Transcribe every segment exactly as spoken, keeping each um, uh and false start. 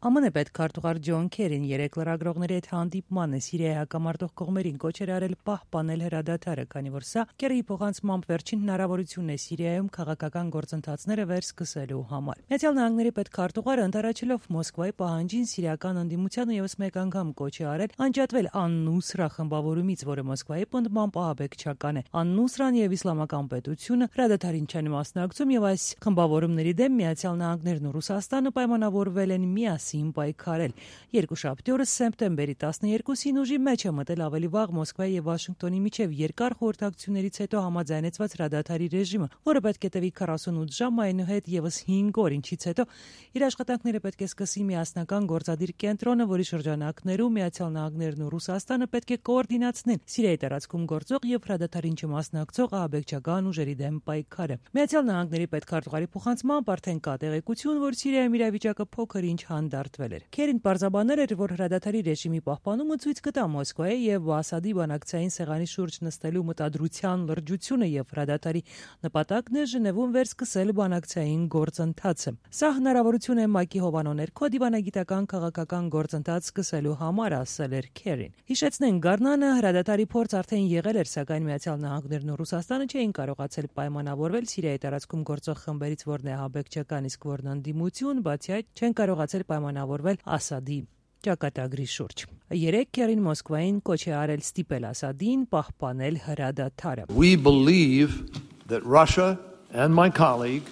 Ամն է պետքարտուղար Ջոն Քերին երեք լրագրողների հետ հանդիպման է Սիրիայի հակամարտող կողմերին կոչ էր արել պահպանել հրադադարը, քանի որ սա Քերիի փոխանցմամբ վերջին հնարավորությունն է Սիրիայում քաղաքական գործընթացները վերսկսելու համար։ Միացյալ Նահանգների պետքարտուղարը ընդառաջելով Մոսկվայի պահանջին սիրիական ընդդիմությանը եւս մեկ անգամ կոչ է արել անջատվել Ան-Նուսրա խմբավորումից, որը Մոսկվայի պնդմամբ ահաբեկչական է։ Ան-Նուսրան եւ Իսլամական պետությունը հրադադարին չեն մասնակցում եւ այս խմբավորումների դեմ Միացյալ Նահանգներն ու Ռուսաստանը պայմանավորվել են միասին պայքարել։ Երկուշաբթի օրը սեպտեմբերի տասներկուսին ուժի մեջ է մտել ավելի վաղ Մոսկվայի եւ Վաշինգտոնի միջև երկար խորհրդակցություններից հետո համաձայնեցված հրադադարի ռեժիմը, որը պետք է տևի քառասունութ ժամ, այնուհետ եւս հինգ օր, ինչից հետո իր աշխատանքները պետք է սկսի միասնական գործադիր կենտրոնը, որի շրջանակներում Միացյալ Նահանգներն ու Ռուսաստանը պետք է կոորդինացնեն Սիրիայի տարածքում գործող եւ հրադադարին չմասնակցող ահաբեկչական ուժերի դեմ պայքարը։ Միացյալ Նահանգների պետքարտուղարի փոխանցմամբ արդեն կա տեղեկություն, որ Սիրիայում իրավիճակը փոքր ինչ հանդարտվել էր։ Քերին պարզաբանել էր, որ հրադադարի ռեժիմի պահպանումը ցույց կտա Մոսկվայի եւ Ասադի բանակցային սեղանի շուրջ նստելու մտադրության լրջությունը եւ հրադադարի նպատակն է Ժնևում վերսկսել բանակցային գործընթացը։ Սա հնարավորություն է ՄԱԿ-ի հովանու ներքո դիվանագիտական քաղաքական գործընթաց սկսելու համար, ասել էր Քերին։ Հիշեցնենք, Գառնանը հրադադարի փորձ արդեն եղել էր, սակայն Միացյալ Նահանգներն ու Ռուսաստանը չէին կարողացել պայմանավորվել Սիրիայի տարածքում գործող խմբերից որն է ահաբեկչական, իսկ որն ընդդիմություն, բացի այդ չեն կարողացել պայմանավորվել Ասադի ճակատագրի շուրջ։ Երեք Քերին Մոսկվային կոչ է արել ստիպել Ասադին պահպանել հրադադարը։ We believe that Russia and my colleague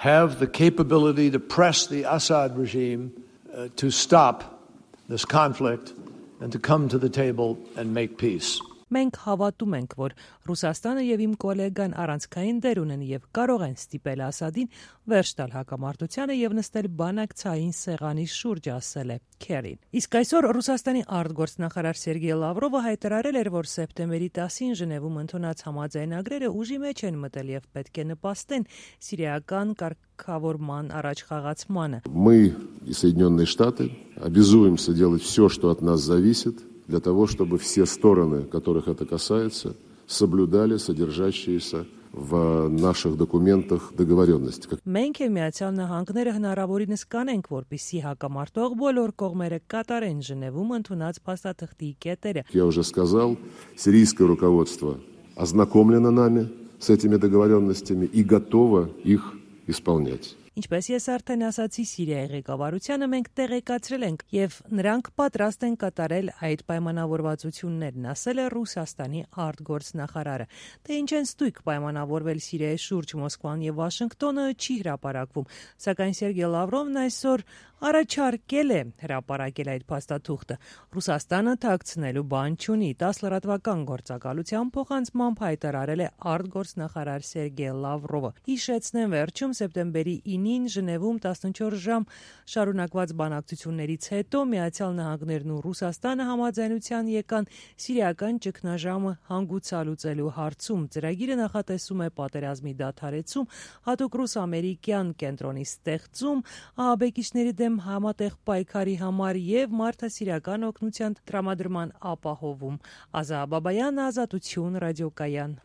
have the capability to press the Assad regime uh, to stop this conflict and to come to the table and make peace. Մենք հավատում ենք, որ Ռուսաստանը եւ իմ գոլեգան առանցքային դեր ունեն եւ կարող են ստիպել Ասադին վերջ տալ հակամարտությանը եւ նստել բանակցային սեղանի շուրջ, ասել է Քերին։ Իսկ այսօր Ռուսաստանի արտգործնախարար Սերգեյ Լավրովը հայտարարել էր, որ սեպտեմբերի տասին Ժնևում ընդունած համաձայնագրերը ուժի մեջ են մտել եւ պետք է նպաստեն սիրիական կարգավորման առաջխաղացմանը։ Мы и Соединенные Штаты обязуемся делать все, что от нас зависит, для того, чтобы все стороны, которых это касается, соблюдали содержащиеся в наших документах договоренности. Մենք եւ Միացյալ Նահանգները հնարավորինս կանենք, որպեսզի հակամարտող բոլոր կողմերը կատարեն Ժնևում ընդունած փաստաթղթի կետերը։ Я уже сказал, сирийское руководство ознакомлено нами с этими договоренностями и готово их исполнять. Ինչպես ես արդեն ասացի, Սիրիայի ղեկավարությանը մենք տեղեկացրել ենք եւ նրանք պատրաստ են կատարել այդ պայմանավորվածություններն, ասել է Ռուսաստանի արտգործնախարարը։ Թե ինչ են ստույգ պայմանավորվել Սիրիայի շուրջ Մոսկվան եւ Վաշինգտոնը չի հրապարակվում, սակայն Սերգեյ Լավրովն այսօր առաջարկել է հրապարակել այդ փաստաթուղթը։ Ռուսաստանը թաքցնելու բան չունի, տաս լրատվական գործակալության փոխանցմամբ հայտարարել է արտգործնախարար Սերգեյ Լավրովը։ Հիշեցնեմ, վերջում սեպտեմբերի ինին Ժնևում տասնչորս ժամ շարունակված բանակցություններից հետո Միացյալ Նահանգներն ու Ռուսաստանը համաձայնության եկան սիրիական ճգնաժամը հանգուցալուծելու հարցում։ Ծրագիրը նախատեսում է պատերազմի դադարեցում, հատուկ ռուս-ամերիկյան կենտրոնի ստեղծում, ահաբեկիչների դեմ համատեղ պայքարի համար եւ մարդասիրական օգնության տրամադրման ապահովում։ Ազա Բաբայան, Ազատություն, ռադիոկայան։